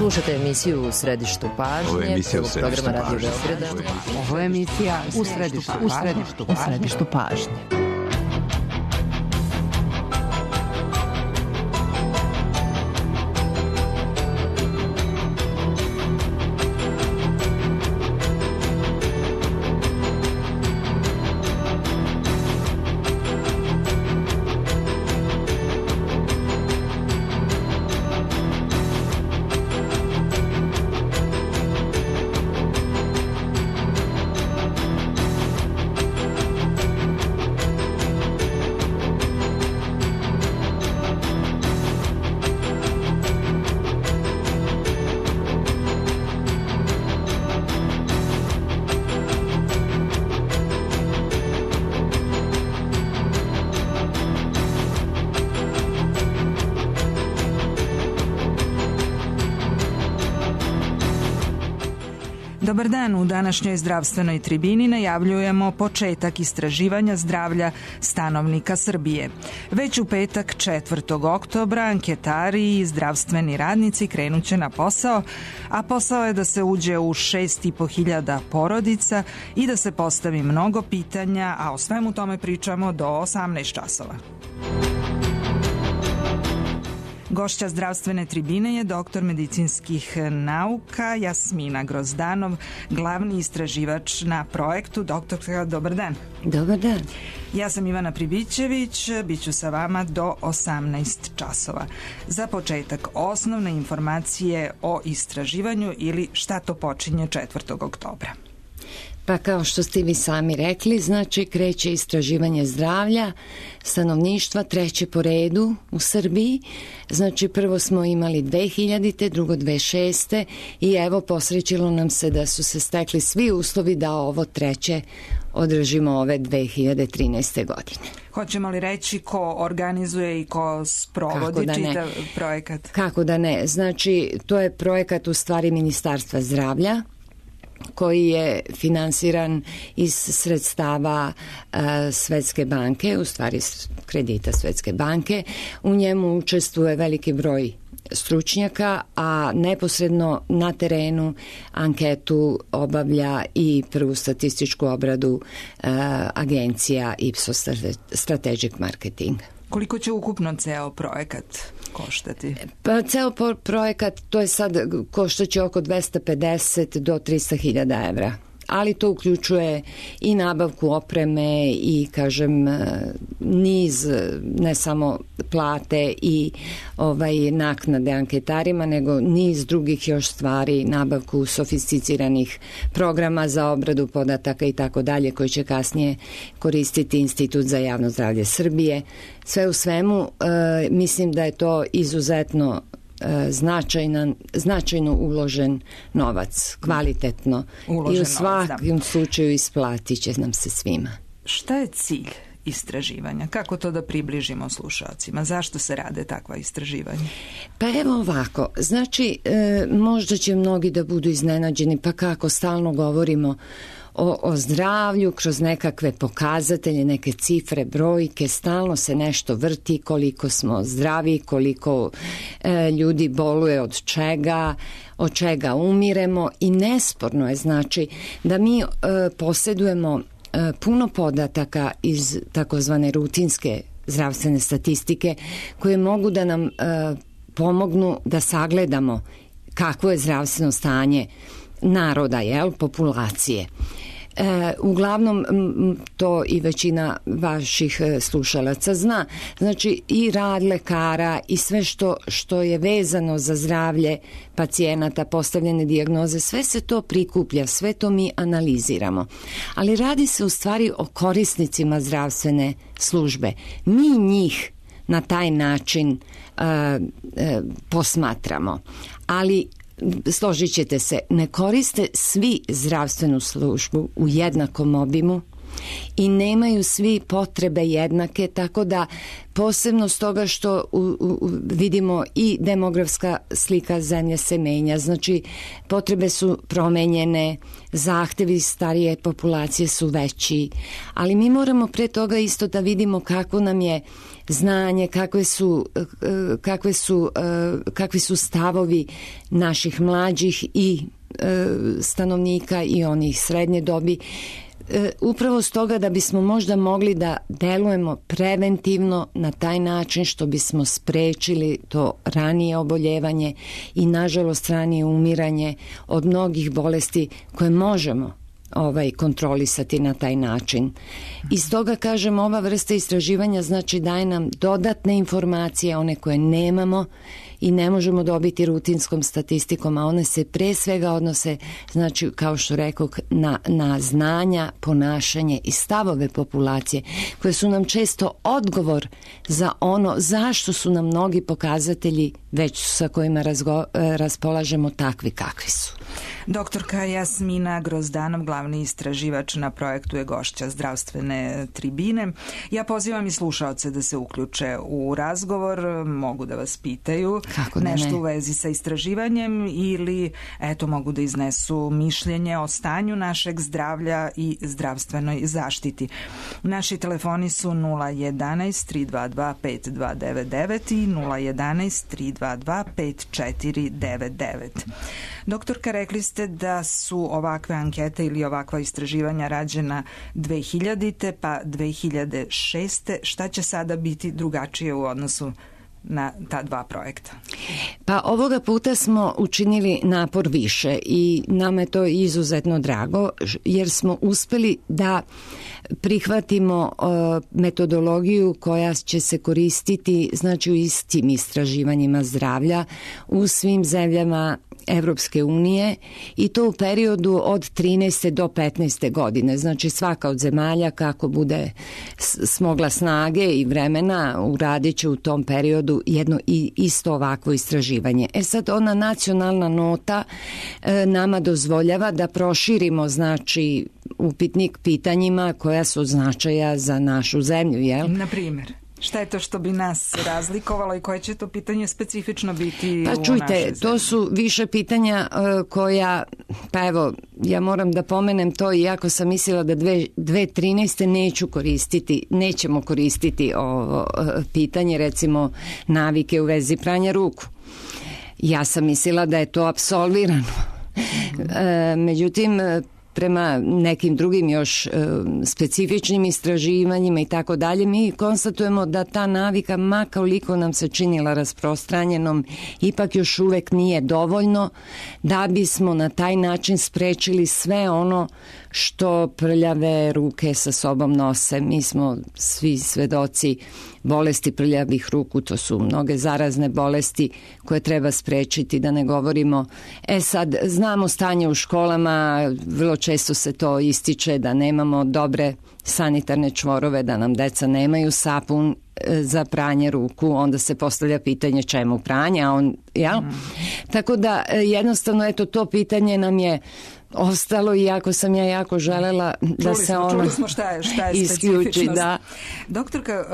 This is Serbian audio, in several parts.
Slušajte emisiju U središtu pažnje, prvog programa Radio Beograda. Ovo je emisija U središtu pažnje. Dobar dan, u današnjoj zdravstvenoj tribini najavljujemo početak istraživanja zdravlja stanovnika Srbije. Već u petak 4. oktobra anketari i zdravstveni radnici krenuće na posao, a posao je da se uđe u 6.500 porodica i da se postavi mnogo pitanja, a o svemu tome pričamo do 18 časova. Gošća zdravstvene tribine je doktor medicinskih nauka Jasmina Grozdanov, glavni istraživač na projektu. Doktorka, dobar dan. Dobar dan. Ja sam Ivana Pribićević, bit ću sa vama do 18 časova. Za početak, osnovne informacije o istraživanju ili šta to počinje 4. oktobra. Pa kao što ste vi sami rekli, znači kreće istraživanje zdravlja stanovništva, treće po redu u Srbiji. Znači prvo smo imali 2000. drugo 2006. i evo posrećilo nam se da su se stekli svi uslovi da ovo treće održimo ove 2013. godine. Hoćemo li reći ko organizuje i ko sprovodi čitav projekat? Kako da ne. Znači to je projekat u stvari Ministarstva zdravlja, koji je finansiran iz sredstava Svetske banke, u stvari kredita Svetske banke. U njemu učestvuje veliki broj stručnjaka, a neposredno na terenu anketu obavlja i prvu statističku obradu agencija Ipsos Strategic Marketing. Koliko će ukupno ceo projekat koštati? Pa ceo projekat, to je sad koštaće oko 250 do 300.000 evra. Ali to uključuje i nabavku opreme i, kažem, niz, ne samo plate i naknade anketarima, nego niz drugih još stvari, nabavku sofisticiranih programa za obradu podataka i tako dalje, koji će kasnije koristiti Institut za javno zdravlje Srbije. Sve u svemu, mislim da je to izuzetno značajno uložen novac, kvalitetno uložen i u svakom slučaju isplatit će nam se svima. Šta je cilj istraživanja? Kako to da približimo slušalcima? Zašto se rade takva istraživanja? Pa evo ovako, znači možda će mnogi da budu iznenađeni, pa kako stalno govorimo o zdravlju kroz nekakve pokazatelje, neke cifre, brojke, stalno se nešto vrti, koliko smo zdravi, koliko ljudi boluje od čega umiremo, i nesporno je znači da mi posjedujemo puno podataka iz takozvane rutinske zdravstvene statistike koje mogu da nam pomognu da sagledamo kakvo je zdravstveno stanje naroda, populacije. Uglavnom to i većina vaših slušalaca zna. Znači i rad lekara i sve što je vezano za zdravlje pacijenata, postavljene dijagnoze, sve se to prikuplja, sve to mi analiziramo. Ali radi se u stvari o korisnicima zdravstvene službe. Mi njih na taj način posmatramo. Ali složit ćete se, ne koriste svi zdravstvenu službu u jednakom obimu i nemaju svi potrebe jednake, tako da posebno stoga što vidimo i demografska slika zemlje se menja, znači potrebe su promenjene, zahtevi starije populacije su veći, ali mi moramo pre toga isto da vidimo kako nam je znanje, kakvi su stavovi naših mlađih i stanovnika i onih srednje dobi. Upravo stoga da bismo možda mogli da delujemo preventivno na taj način što bismo sprečili to ranije oboljevanje i nažalost ranije umiranje od mnogih bolesti koje možemo kontrolisati na taj način. I stoga kažem, ova vrsta istraživanja znači daje nam dodatne informacije, one koje nemamo i ne možemo dobiti rutinskom statistikom, a one se pre svega odnose, znači kao što rekoh, na znanja, ponašanje i stavove populacije koje su nam često odgovor za ono zašto su nam mnogi pokazatelji već sa kojima raspolažemo takvi kakvi su. Doktorka Jasmina Grozdanov, glavni istraživač na projektu, je gošća zdravstvene tribine. Ja pozivam i slušaoce da se uključe u razgovor, mogu da vas pitaju nešto u vezi sa istraživanjem ili mogu da iznesu mišljenje o stanju našeg zdravlja i zdravstvenoj zaštiti. Naši telefoni su 011 322 5299 i 011 322 5499. Doktorka, rekli ste da su ovakve ankete ili ovakva istraživanja rađena 2000. pa 2006. Šta će sada biti drugačije u odnosu na ta dva projekta? Pa ovoga puta smo učinili napor više i nama je to izuzetno drago jer smo uspeli da prihvatimo metodologiju koja će se koristiti znači u istim istraživanjima zdravlja u svim zemljama Evropske unije i to u periodu od 13. do 15. godine. Znači svaka od zemalja kako bude smogla snage i vremena uradit će u tom periodu jedno i isto ovakvo istraživanje. Sad ona nacionalna nota nama dozvoljava da proširimo znači upitnik pitanjima koja su od značaja za našu zemlju, jel? Na primjer? Šta je to što bi nas razlikovalo i koje će to pitanje specifično biti u našoj zemlji? Pa čujte, to su više pitanja koja, pa evo, ja moram da pomenem to, iako sam mislila da 2013. nećemo koristiti ovo pitanje, recimo navike u vezi pranja ruku. Ja sam mislila da je to apsolvirano. Međutim, prema nekim drugim još specifičnim istraživanjima i tako dalje, mi konstatujemo da ta navika, ma koliko nam se činila rasprostranjenom, ipak još uvek nije dovoljno da bismo na taj način sprečili sve ono što prljave ruke sa sobom nose. Mi smo svi svedoci bolesti prljavih ruku, to su mnoge zarazne bolesti koje treba sprečiti, da ne govorimo. Sad, znamo stanje u školama, vrlo često se to ističe da nemamo dobre sanitarne čvorove, da nam deca nemaju sapun za pranje ruku, onda se postavlja pitanje čemu pranje, Tako da jednostavno to pitanje nam je ostalo, iako sam ja jako želela da se ono čuli smo šta je isključi. Da. Doktorka,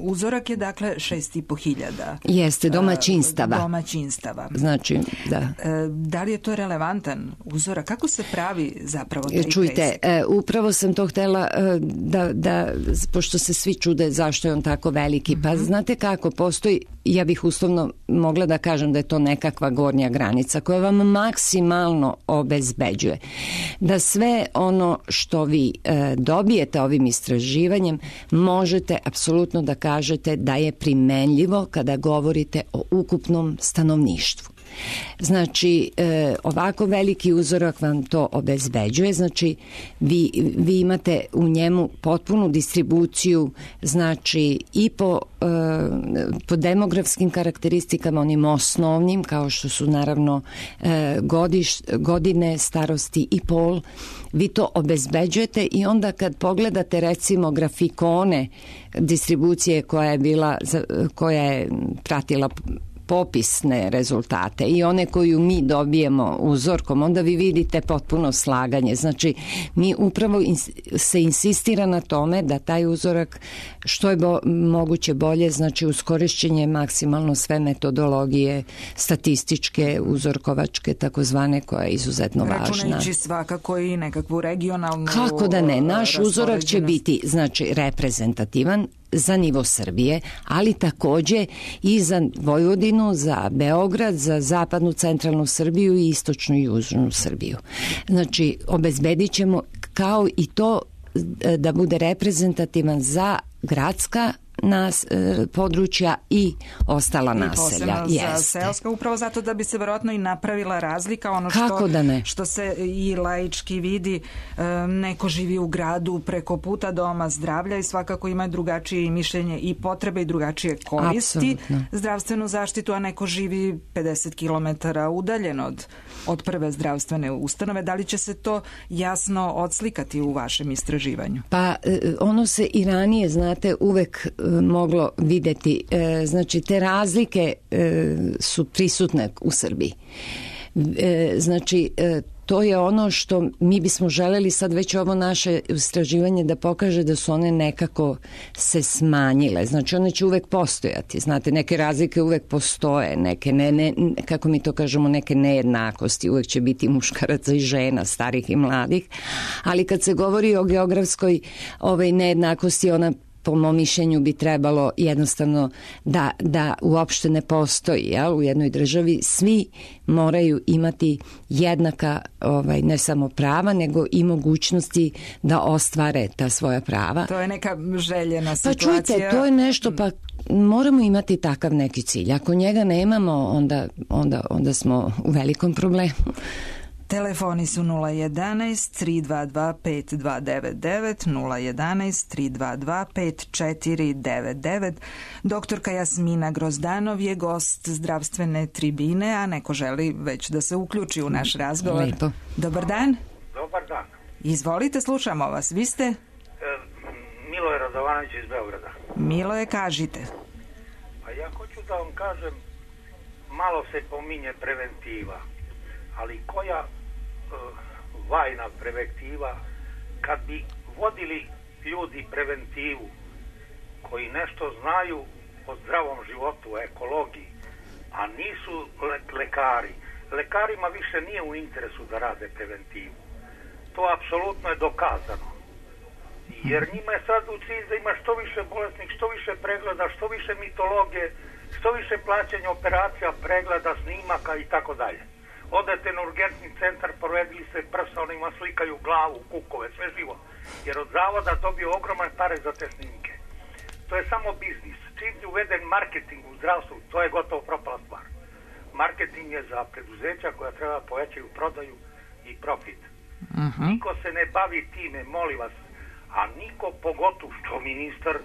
uzorak je dakle 6.500. Jeste, domaćinstava. Znači, da. Da li je to relevantan uzorak? Kako se pravi zapravo taj Čujte, upravo sam to htela da, pošto se svi čude zašto je on tako veliki, pa znate kako, postoji, ja bih uslovno mogla da kažem da je to nekakva gornja granica koja vam maksimalno obezbeđuje da sve ono što vi dobijete ovim istraživanjem možete apsolutno da kažete da je primenljivo kada govorite o ukupnom stanovništvu. Znači, ovako veliki uzorak vam to obezbeđuje, znači vi imate u njemu potpunu distribuciju, znači i po demografskim karakteristikama, onim osnovnim, kao što su naravno godine starosti i pol, vi to obezbeđujete i onda kad pogledate recimo grafikone distribucije koja je pratila popisne rezultate i one koju mi dobijemo uzorkom, onda vi vidite potpuno slaganje. Znači, mi upravo se insistira na tome da taj uzorak što je moguće bolje, znači uz korišćenje maksimalno sve metodologije statističke, uzorkovačke, takozvane, koja je izuzetno važna. Računajući svakako i nekakvu regionalnu... Kako da ne, naš uzorak će biti, znači, reprezentativan za nivo Srbije, ali takođe i za Vojvodinu, za Beograd, za zapadnu centralnu Srbiju i istočnu i južnu Srbiju. Znači, obezbedit ćemo kao i to da bude reprezentativan za gradska područja i ostala naselja. I posebno za seoska, upravo zato da bi se verovatno i napravila razlika, ono što se i laički vidi, neko živi u gradu preko puta doma zdravlja i svakako ima drugačije mišljenje i potrebe i drugačije koristi zdravstvenu zaštitu, a neko živi 50 km udaljen od prve zdravstvene ustanove. Da li će se to jasno odslikati u vašem istraživanju? Pa ono se i ranije, znate, uvek moglo videti. Znači, te razlike su prisutne u Srbiji. Znači, to je ono što mi bismo želeli sad već ovo naše istraživanje da pokaže da su one nekako se smanjile. Znači, one će uvek postojati. Znate, neke razlike uvek postoje, neke kako mi to kažemo, neke nejednakosti. Uvek će biti muškaraca i žena, starih i mladih. Ali kad se govori o geografskoj nejednakosti, ona po mom mišljenju bi trebalo jednostavno da uopšte ne postoji u jednoj državi. Svi moraju imati jednaka ne samo prava, nego i mogućnosti da ostvare ta svoja prava. To je neka željena situacija. Pa čujte, to je nešto, pa moramo imati takav neki cilj. Ako njega nemamo, onda smo u velikom problemu. Telefoni su 011-322-5299, 011-322-5499. Doktorka Jasmina Grozdanov je gost zdravstvene tribine, a neko želi već da se uključi u naš razgovor. Lepo. Dobar dan. Dobar dan. Izvolite, slušamo vas. Vi ste? Miloje Radovanović iz Beograda. Miloje, kažite. Pa ja hoću da vam kažem, malo se pominje preventiva, ali koja vajna preventiva, kad bi vodili ljudi preventivu koji nešto znaju o zdravom životu, o ekologiji, a nisu lekari. Lekarima više nije u interesu da rade preventivu. To apsolutno je dokazano. Jer njima je sad u cilj da ima što više bolesnih, što više pregleda, što više mitologije, što više plaćanja operacija, pregleda, snimaka i tako dalje. Odete na urgentni centar, provedili se prsa, onima slikaju glavu, kukove, sve živo. Jer od zavoda dobio ogromne pare za te snimke. To je samo biznis. Čim je uveden marketing u zdravstvu, to je gotovo propala stvar. Marketing je za preduzeća koja treba povećaju prodaju i profit. Niko se ne bavi time, molim vas, a niko, pogotovo što ministar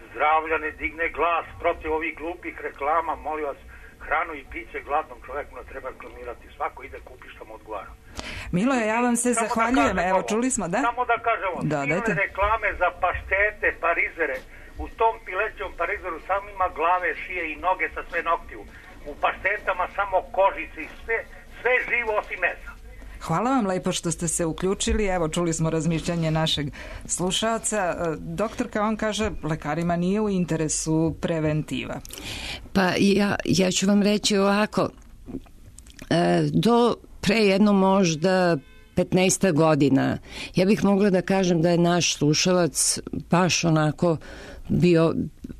zdravlja ne digne glas protiv ovih glupih reklama, molim vas, hranu i piće gladnom čoveku ne treba reklamirati. Svako ide kupi što mu odgovara. Miloje, ja vam se zahvaljujem. Evo, čuli smo, da? Samo da kažemo, silne reklame za paštete, parizere. U tom pilećom parizeru samo ima glave, šije i noge sa sve noktiju. U paštetama samo kožice i sve živo osim mesa. Hvala vam lepo što ste se uključili. Evo, čuli smo razmišljanje našeg slušaoca. Doktorka, on kaže, lekarima nije u interesu preventiva. Pa ja ću vam reći ovako, do pre jedno možda 15 godina, ja bih mogla da kažem da je naš slušalac baš onako bio,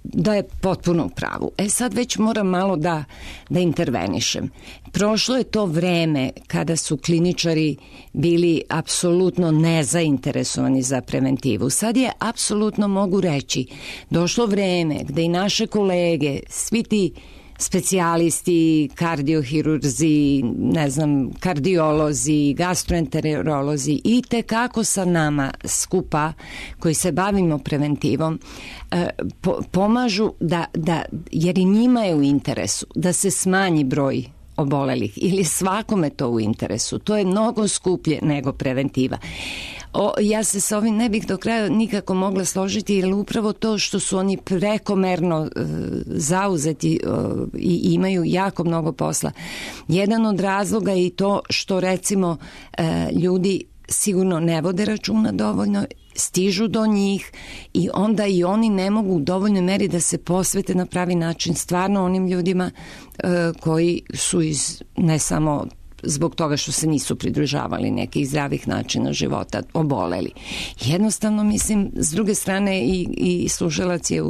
da je potpuno u pravu. Sad već moram malo da intervenišem. Prošlo je to vreme kada su kliničari bili apsolutno nezainteresovani za preventivu. Sad je apsolutno, mogu reći, došlo vreme gde i naše kolege, svi ti specijalisti, kardiohirurzi, kardiolozi, gastroenterolozi i tekako sa nama skupa koji se bavimo preventivom pomažu jer i njima je u interesu da se smanji broj obolelih ili svakome to u interesu. To je mnogo skuplje nego preventiva. Ja se sa ovim ne bih do kraja nikako mogla složiti, jer upravo to što su oni prekomerno zauzeti i imaju jako mnogo posla. Jedan od razloga je i to što recimo ljudi sigurno ne vode računa dovoljno, stižu do njih i onda i oni ne mogu u dovoljnoj meri da se posvete na pravi način stvarno onim ljudima koji su ne samo zbog toga što se nisu pridržavali nekih zdravih načina života, oboleli. Jednostavno, mislim, s druge strane i slušalac je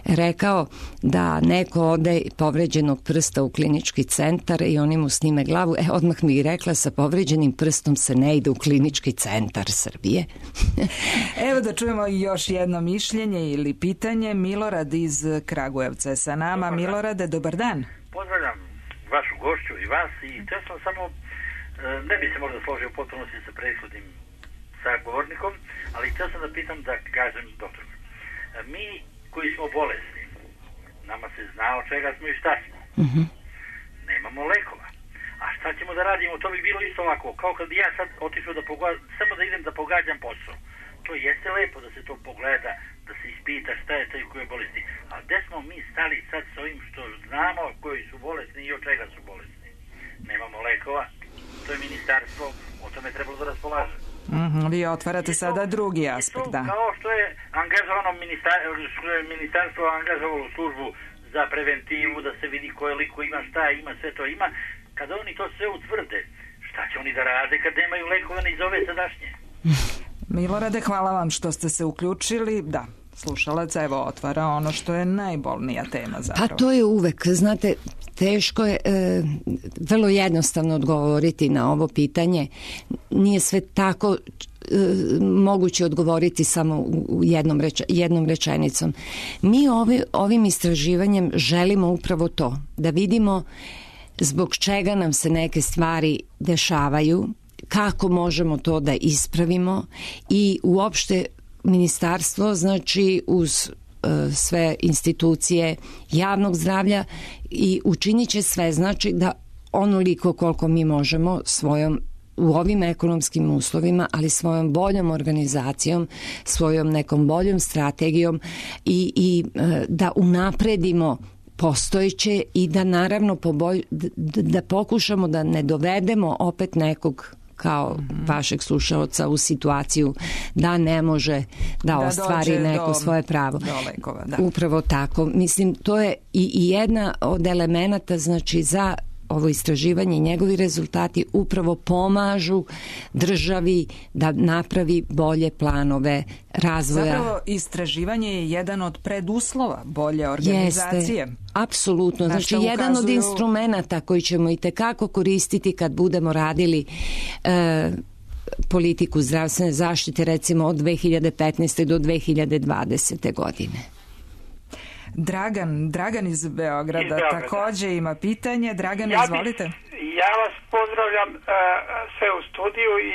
rekao da neko ode povređenog prsta u klinički centar i oni mu snime glavu. Odmah mi je rekla, sa povređenim prstom se ne ide u klinički centar Srbije. Evo da čujemo još jedno mišljenje ili pitanje. Milorad iz Kragujevca je sa nama. Milorade, dobar dan. Pozdravljam vašu gošću i vas i htio sam samo, ne bi se možda složio u potpunosti sa prethodnim sagovornikom, ali htio sam da pitam, da kažem doktor, mi koji smo bolesni, nama se zna od čega smo i šta smo. Nemamo lekova. A šta ćemo da radimo? To bi bilo isto ovako, kao kad bi ja sad otišao samo da idem da pogađam posao. To jeste lepo da se to pogleda, da se ispita šta je taj koji je bolesti. A gde smo mi stali sad s ovim što znamo koji su bolesni i od čega su bolesni? Nemamo lekova, to je ministarstvo, o tome trebalo da raspolaže. Vi otvarate sada drugi aspekt, da. Kao što je angažovano ministarstvo angažovalo službu za preventivu, da se vidi koliko ima, šta ima, sve to ima. Kada oni to sve utvrde, šta će oni da rade kad nemaju lekova ni za ove sadašnje? Milorade, hvala vam što ste se uključili. Da, slušalac evo otvara ono što je najbolnija tema zapravo. Pa to je uvek, znate, teško je vrlo jednostavno odgovoriti na ovo pitanje. Nije sve tako moguće odgovoriti samo u jednom rečenicom. Mi ovim istraživanjem želimo upravo to, da vidimo zbog čega nam se neke stvari dešavaju, kako možemo to da ispravimo i uopšte ministarstvo, znači uz sve institucije javnog zdravlja i učinit će sve, znači da onoliko koliko mi možemo u ovim ekonomskim uslovima, ali svojom boljom organizacijom, svojom nekom boljom strategijom i da unapredimo postojeće i da naravno da pokušamo da ne dovedemo opet nekog kao vašeg slušaoca u situaciju da ne može da ostvari neko svoje pravo. Lekova, da. Upravo tako. Mislim, to je i jedna od elemenata, znači za ovo istraživanje i njegovi rezultati upravo pomažu državi da napravi bolje planove razvoja. Zapravo istraživanje je jedan od preduslova bolje organizacije. Jeste, apsolutno. Znači jedan od instrumenata koji ćemo i tekako koristiti kad budemo radili politiku zdravstvene zaštite, recimo od 2015. do 2020. godine. Dragan iz Beograda takođe ima pitanje. Dragan, izvolite. Ja vas pozdravljam sve u studiju i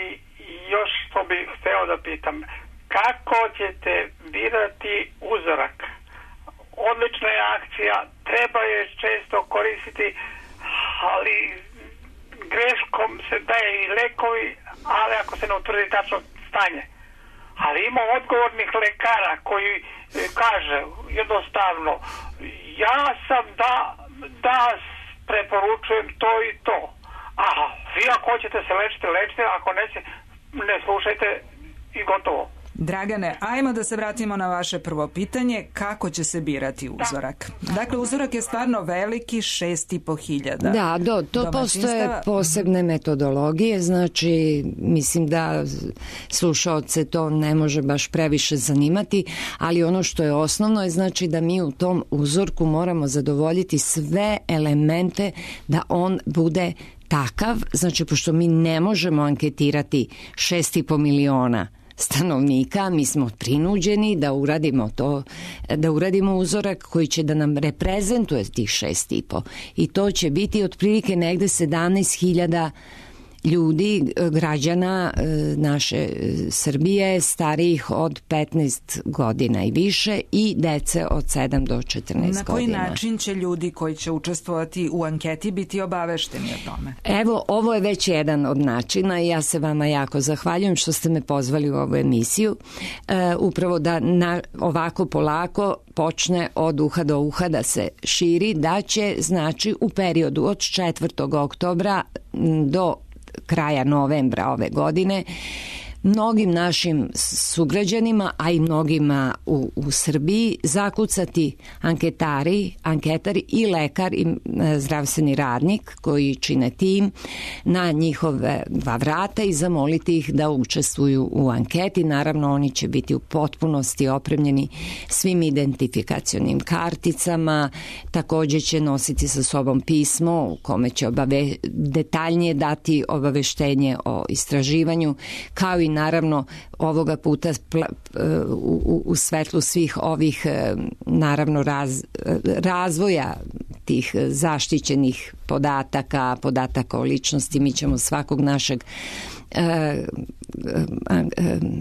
još što bih hteo da pitam. Kako ćete birati uzorak? Odlična je akcija, treba je često koristiti, ali greškom se daje i lekovi, ali ako se ne utvrdi tačno stanje. Ali ima odgovornih lekara koji kaže jednostavno, ja sam da preporučujem to i to. Aha, vi ako hoćete se lečite, ako ne slušajte i gotovo. Dragane, ajmo da se vratimo na vaše prvo pitanje, kako će se birati uzorak? Dakle, uzorak je stvarno veliki, 6.500. Da, to postoje posebne metodologije, znači mislim da slušaoce to ne može baš previše zanimati, ali ono što je osnovno je znači da mi u tom uzorku moramo zadovoljiti sve elemente da on bude takav, znači pošto mi ne možemo anketirati 6,5 miliona stanovnika, mi smo prinuđeni da uradimo to, da uradimo uzorak koji će da nam reprezentuje tih 6,5 i to će biti otprilike negde 17.000 ljudi, građana naše Srbije starijih od 15 godina i više i dece od 7 do 14 godina. Na koji način će ljudi koji će učestvovati u anketi biti obavešteni o tome? Evo, ovo je već jedan od načina i ja se vama jako zahvaljujem što ste me pozvali u ovu emisiju. Upravo da ovako polako počne od uha do uha da se širi, da će znači u periodu od 4. oktobra do kraja novembra ove godine mnogim našim sugrađanima, a i mnogima u Srbiji zakucati anketari i lekar i zdravstveni radnik koji čine tim na njihove 2 vrata i zamoliti ih da učestvuju u anketi. Naravno, oni će biti u potpunosti opremljeni svim identifikacionim karticama, takođe će nositi sa sobom pismo u kome će detaljnije dati obaveštenje o istraživanju, kao i naravno ovoga puta u svetlu svih ovih naravno razvoja tih zaštićenih podataka o ličnosti. Mi ćemo svakog našeg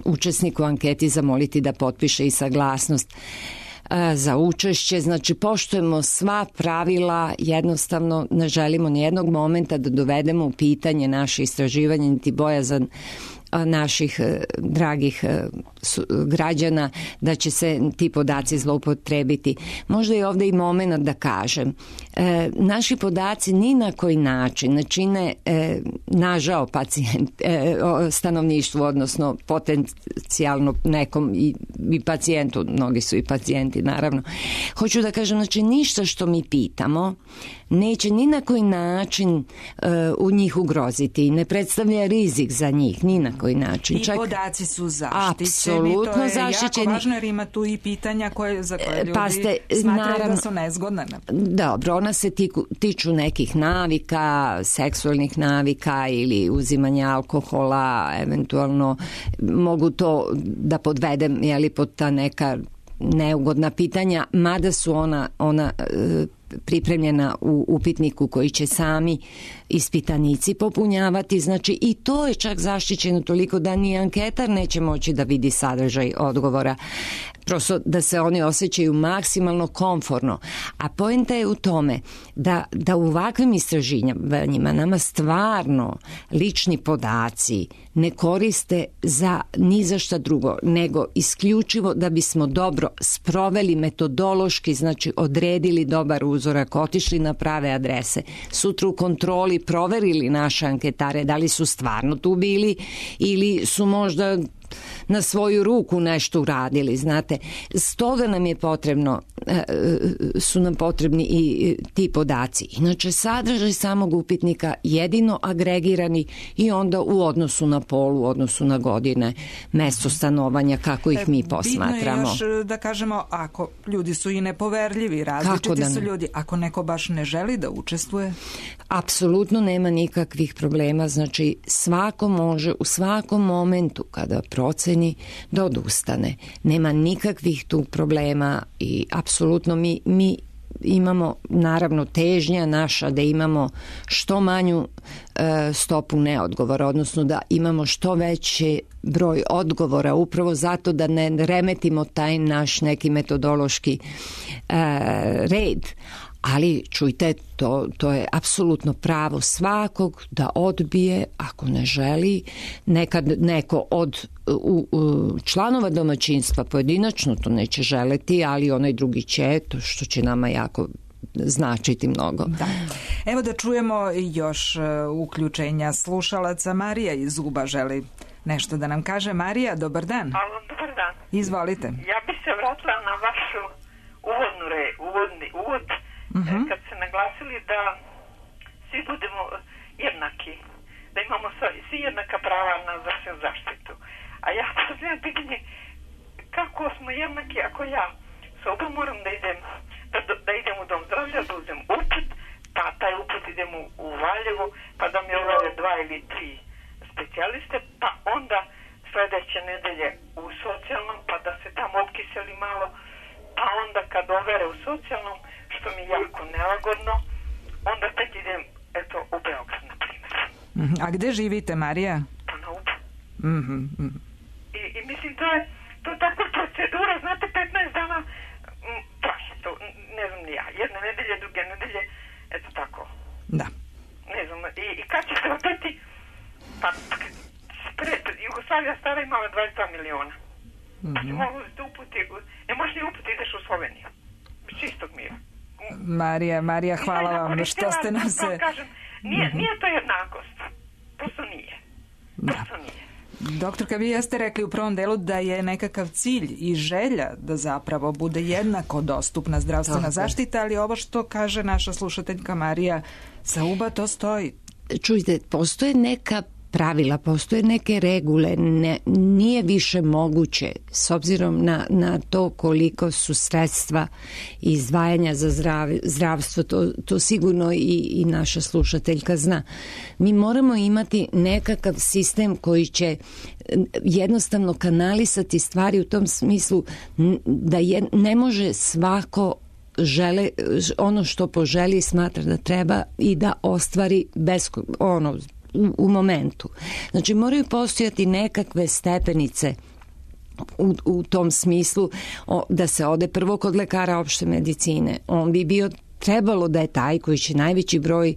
učesnika u anketi zamoliti da potpiše i saglasnost za učešće. Znači, poštujemo sva pravila, jednostavno ne želimo nijednog momenta da dovedemo u pitanje naše istraživanje niti bojazan naših dragih građana da će se ti podaci zloupotrebiti. Možda je ovde i moment da kažem, naši podaci ni na koji način ne čine nažao stanovništvu, odnosno potencijalno nekom i pacijentu, mnogi su i pacijenti naravno. Hoću da kažem, znači ništa što mi pitamo neće ni na koji način u njih ugroziti i ne predstavlja rizik za njih, ni na koji način. I podaci su zaštićeni, apsolutno to je zaštićeni. Jako važno jer ima tu i pitanja za koje ljudi smatraju da su nezgodne. Dobro, ona se tiču nekih navika, seksualnih navika ili uzimanja alkohola, eventualno mogu to da podvedem pod ta neka neugodna pitanja, mada su ona pripremljena u upitniku koji će sami ispitanici popunjavati, znači i to je čak zaštićeno toliko da ni anketar neće moći da vidi sadržaj odgovora, prosto da se oni osjećaju maksimalno komforno. A poenta je u tome da u ovakvim istraživanjima nama stvarno lični podaci ne koriste ni za šta drugo, nego isključivo da bismo dobro sproveli metodološki, znači odredili dobar uzorak, otišli na prave adrese, sutra u kontroli proverili naše anketare da li su stvarno tu bili ili su možda na svoju ruku nešto uradili, znate. Stoga nam je su nam potrebni i ti podaci. Inače, sadržaj samog upitnika jedino agregirani i onda u odnosu na pol, u odnosu na godine, mesto stanovanja, kako ih mi posmatramo. Bitno je još da kažemo, ako ljudi su i nepoverljivi, različiti su ljudi, ako neko baš ne želi da učestvuje? Apsolutno nema nikakvih problema, znači svako može u svakom momentu kada proceni da odustane. Nema nikakvih tu problema i apsolutno mi imamo naravno težnja naša da imamo što manju stopu neodgovora, odnosno da imamo što veći broj odgovora, upravo zato da ne remetimo taj naš neki metodološki red. Ali čujte, to je apsolutno pravo svakog da odbije ako ne želi. Nekad neko od članova domaćinstva pojedinačno to neće želeti, ali onaj drugi će, to što će nama jako značiti mnogo. Da. Evo da čujemo još uključenja slušalaca. Marija iz Uba želi nešto da nam kaže. Marija, dobar dan. Alo, dobar dan. Izvolite. Ja bih se vratila na vašu uvod kad ste naglasili da svi budemo jednaki, da imamo svi jednaka prava na zdravstvenu zaštitu. A ja postavljam pitanje, kako smo jednaki ako ja soba moram da idem u dom zdravlja, da uzem uput, pa taj uput idem u Valjevo, pa da mi overe 2 ili 3 specijaliste, pa onda sledeće nedelje u socijalnom, pa da se tamo opkiseli malo, pa onda kad overe u socijalnom, što mi je jako nelagodno, onda tek idem u Beograd, na primjer. A gde živite, Marija? Pa na Ubu. I mislim, to je takva procedura, znate, 15 dana traje to, ne znam ni ja, jedne nedelje, druge nedelje, eto tako. Da. Ne znam, i kad će se opeti, pa Jugoslavija stara imala 22 miliona. Znači, mogu da uputi, ne možeš ni uputi, ideš u Sloveniju. Bez čistog mira. Marija, hvala vam što ste nam se... Nije to jednakost. Prosto nije. Doktorka, vi jeste rekli u prvom delu da je nekakav cilj i želja da zapravo bude jednako dostupna zdravstvena zaštita, ali ovo što kaže naša slušateljka Marija sa Uba, to stoji. Čujte, postoje neka pravila, postoje neke regule, nije više moguće s obzirom na to koliko su sredstva i izdvajanja za zdravstvo, to sigurno i naša slušateljka zna. Mi moramo imati nekakav sistem koji će jednostavno kanalisati stvari u tom smislu da ne može svako žele ono što poželi, smatra da treba i da ostvari bez u momentu. Znači moraju postojati nekakve stepenice u tom smislu da se ode prvo kod lekara opšte medicine. On bi bio trebalo da je taj koji će najveći broj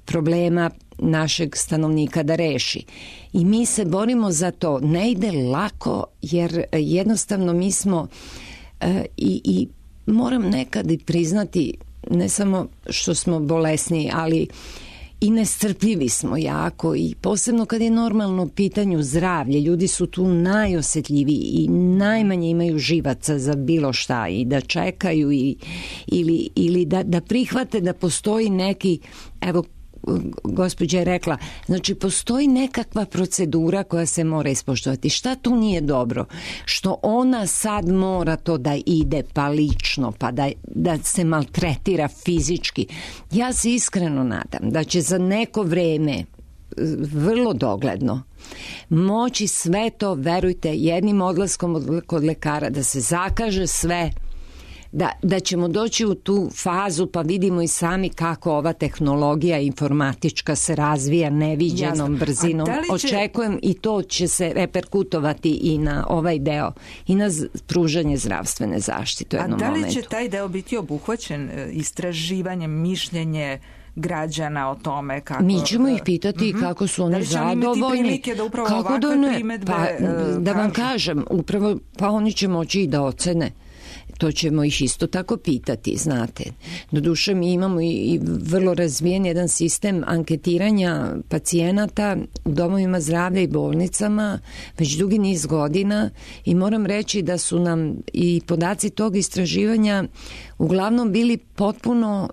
problema našeg stanovnika da reši. I mi se borimo za to. Ne ide lako jer jednostavno mi smo i moram nekad i priznati ne samo što smo bolesni, ali i nestrpljivi smo jako i posebno kad je normalno pitanju zdravlje. Ljudi su tu najosetljiviji i najmanje imaju živaca za bilo šta i da čekaju ili da prihvate da postoji neki, evo gospođa je rekla, znači postoji nekakva procedura koja se mora ispoštovati. Šta tu nije dobro? Što ona sad mora to da ide pa lično, pa da se maltretira fizički. Ja se iskreno nadam da će za neko vreme, vrlo dogledno, moći sve to, verujte, jednim odlaskom kod lekara da se zakaže sve, da ćemo doći u tu fazu pa vidimo i sami kako ova tehnologija informatička se razvija neviđenom brzinom. Očekujem i to će se reperkutovati i na ovaj deo i na pružanje zdravstvene zaštite u jednom momentu. A da li će taj deo biti obuhvaćen istraživanjem, mišljenje građana o tome kako... Mi ćemo ih pitati kako su oni zadovoljni. Kako da vam kažem, upravo pa oni će moći i da ocene. To ćemo ih isto tako pitati, znate. Doduše mi imamo i vrlo razvijen jedan sistem anketiranja pacijenata u domovima zdravlja i bolnicama već dugi niz godina i moram reći da su nam i podaci tog istraživanja uglavnom bili potpuno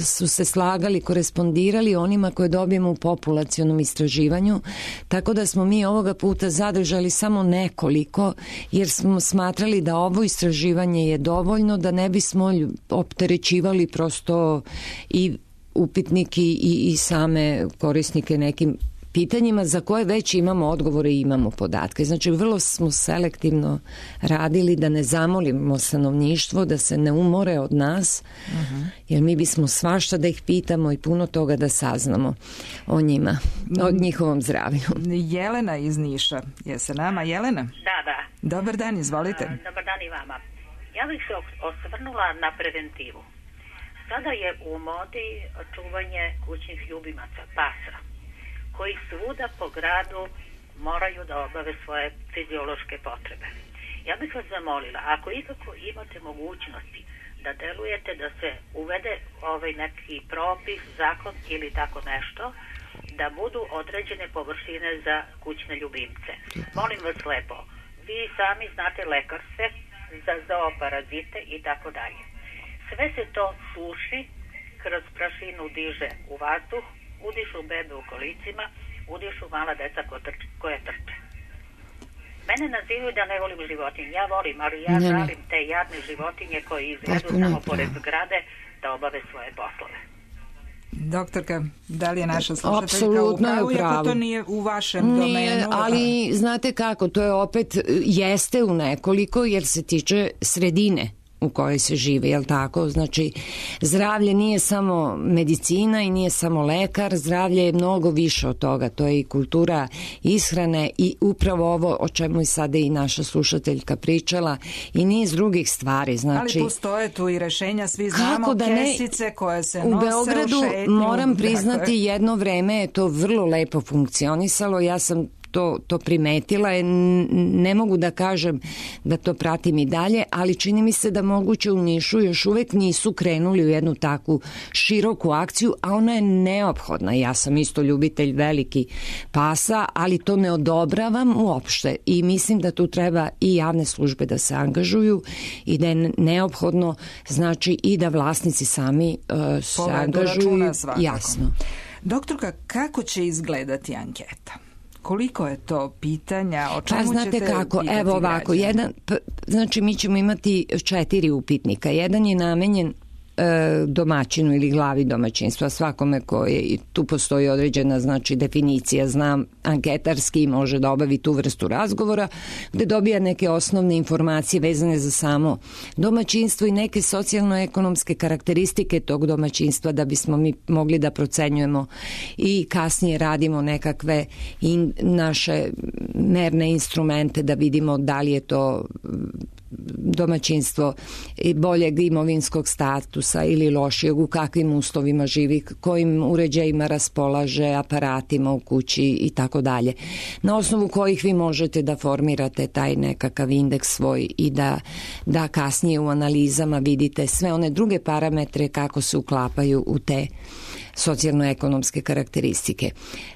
su se slagali, korespondirali onima koje dobijemo u populacionom istraživanju, tako da smo mi ovoga puta zadržali samo nekoliko, jer smo smatrali da ovo istraživanje je dovoljno, da ne bismo opterećivali prosto i upitnike i same korisnike nekim pitanjima za koje već imamo odgovore i imamo podatke. Znači, vrlo smo selektivno radili da ne zamolimo stanovništvo, da se ne umore od nas, jer mi bismo svašta da ih pitamo i puno toga da saznamo o njima, o njihovom zdravlju. Jelena iz Niša je sa nama. Jelena? Da. Dobar dan, izvolite. Dobar dan i vama. Ja bih se osvrnula na preventivu. Sada je u modi čuvanje kućnih ljubimaca, pasa, koji svuda po gradu moraju da obave svoje fiziološke potrebe. Ja bih vas zamolila, ako ikako imate mogućnosti da delujete da se uvede neki propis, zakon ili tako nešto, da budu određene površine za kućne ljubimce. Molim vas lepo, vi sami znate lekarstve za zooparazite i tako dalje. Sve se to suši, kroz prašinu diže u vazduh, udišu bebe u kolicima, udišu mala deca koje trče. Mene nazivaju da ne volim životinje. Ja volim, ali ja žalim te jadne životinje koje izvedu samo pored zgrade da obave svoje poslove. Doktorka, da li je naša slušateljka u pravu, iako to nije u vašem domenu? Nije, ali znate kako, to je opet jeste u nekoliko jer se tiče sredine. u kojoj se živi, jel tako? Znači, zdravlje nije samo medicina i nije samo lekar, zdravlje je mnogo više od toga, to je i kultura ishrane i upravo ovo o čemu je sada i naša slušateljka pričala i niz drugih stvari. Znači, ali postoje tu i rešenja, svi znamo kesice koje se nose u Beogradu, u šetnju. Moram priznati, jedno vreme je to vrlo lepo funkcionisalo, ja sam to primetila, ne mogu da kažem da to pratim i dalje, ali čini mi se da moguće u Nišu još uvek nisu krenuli u jednu takvu široku akciju, a ona je neophodna. Ja sam isto ljubitelj veliki pasa, ali to ne odobravam uopšte i mislim da tu treba i javne službe da se angažuju i da je neophodno, znači, i da vlasnici sami se angažuju. Jasno. Doktorka, kako će izgledati anketa? Koliko je to pitanja? O čemu znate ćete kako, pitati evo ovako, znači mi ćemo imati 4 upitnika. Jedan je namenjen domaćinu ili glavi domaćinstva, svakome koje, tu postoji određena, znači, definicija, znam, anketarski može da obavi tu vrstu razgovora, gde dobija neke osnovne informacije vezane za samo domaćinstvo i neke socijalno-ekonomske karakteristike tog domaćinstva da bismo mi mogli da procenjujemo i kasnije radimo nekakve naše merne instrumente da vidimo da li je to domaćinstvo boljeg imovinskog statusa ili lošijeg, u kakvim uslovima živi, kojim uređajima raspolaže, aparatima u kući i tako dalje. Na osnovu kojih vi možete da formirate taj nekakav indeks svoj i da kasnije u analizama vidite sve one druge parametre kako se uklapaju u te socijalno-ekonomske karakteristike.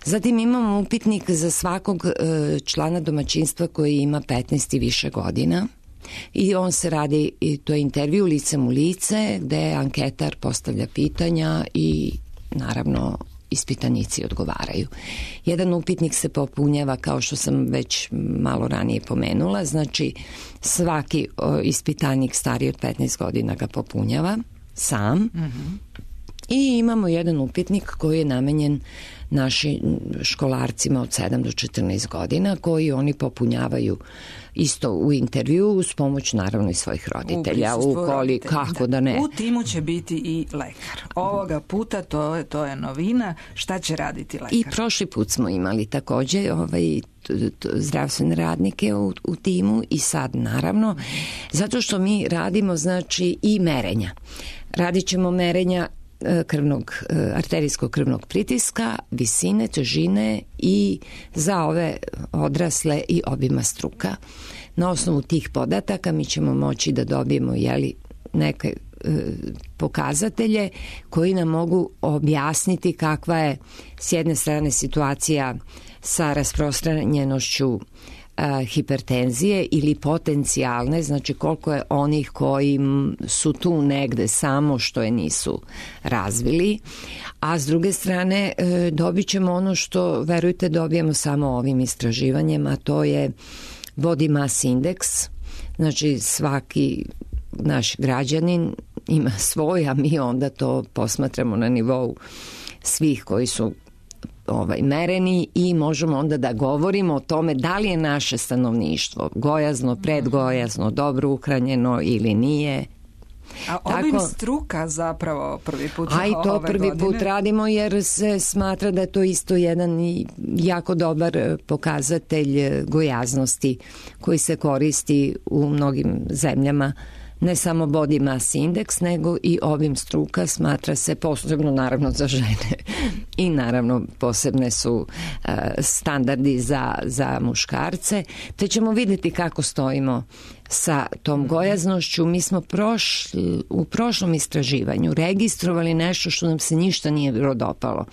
Zatim imamo upitnik za svakog člana domaćinstva koji ima 15 i više godina. I on se radi, to je intervju licem u lice gde anketar postavlja pitanja i naravno ispitanici odgovaraju. Jedan upitnik se popunjava, kao što sam već malo ranije pomenula, znači svaki ispitanik stariji od 15 godina ga popunjava sam. I imamo jedan upitnik koji je namenjen našim školarcima od 7 do 14 godina koji oni popunjavaju isto u intervju uz pomoć naravno i svojih roditelja. Kako da ne. U timu će biti i lekar. Ovoga puta to je novina. Šta će raditi lekar? I prošli put smo imali takođe zdravstvene radnike u timu i sad naravno zato što mi radimo znači i merenja. Radit ćemo merenja arterijskog krvnog pritiska, visine, težine i za ove odrasle i obima struka. Na osnovu tih podataka mi ćemo moći da dobijemo neke pokazatelje koji nam mogu objasniti kakva je s jedne strane situacija sa rasprostranjenošću hipertenzije ili potencijalne, znači koliko je onih koji su tu negde samo što je nisu razvili, a s druge strane dobit ćemo ono što, verujte, dobijemo samo ovim istraživanjem, a to je body mass index, znači svaki naš građanin ima svoj, a mi onda to posmatramo na nivou svih koji su mereni i možemo onda da govorimo o tome da li je naše stanovništvo gojazno, predgojazno, dobro uhranjeno ili nije. A obim struka zapravo prvi put ove godine? A i to prvi put radimo jer se smatra da je to isto jedan jako dobar pokazatelj gojaznosti koji se koristi u mnogim zemljama. Ne samo body mass index, nego i obim struka smatra se posebno naravno za žene i naravno posebne su standardi za muškarce, te ćemo vidjeti kako stojimo sa tom gojaznošću. Mi smo u prošlom istraživanju registrovali nešto što nam se ništa nije bilo dopalo,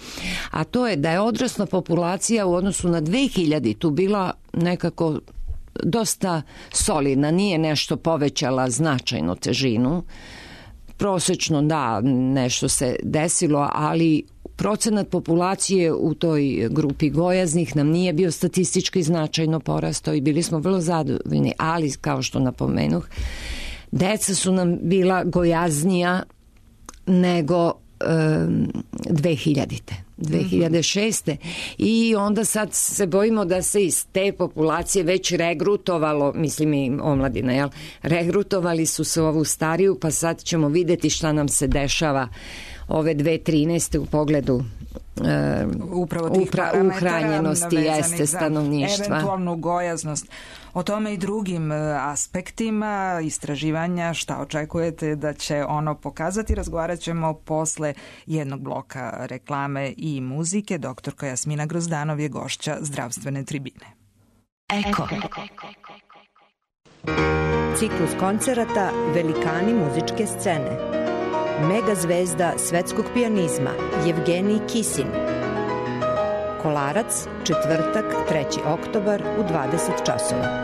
a to je da je odrasla populacija u odnosu na 2000 tu bila nekako dosta solidna, nije nešto povećala značajno težinu. Prosečno da, nešto se desilo, ali procenat populacije u toj grupi gojaznih nam nije bio statistički značajno porastao i bili smo vrlo zadovoljni, ali kao što napomenuh, deca su nam bila gojaznija nego 2006. I onda sad se bojimo da se iz te populacije već regrutovalo, mislim i omladina, jel? Regrutovali su se ovu stariju, pa sad ćemo videti šta nam se dešava ove 2013. u pogledu uhranjenosti jeste stanovništva. Eventualnu gojaznost. O tome i drugim aspektima istraživanja, šta očekujete da će ono pokazati, razgovarat ćemo posle jednog bloka reklame i muzike. Doktorka Jasmina Grozdanov je gošća zdravstvene tribine. Eko. Ciklus koncerata Velikani muzičke scene. Mega zvezda svetskog pijanizma Jevgenij Kisin. Kolarac, četvrtak, 3. oktobar u 20 časova.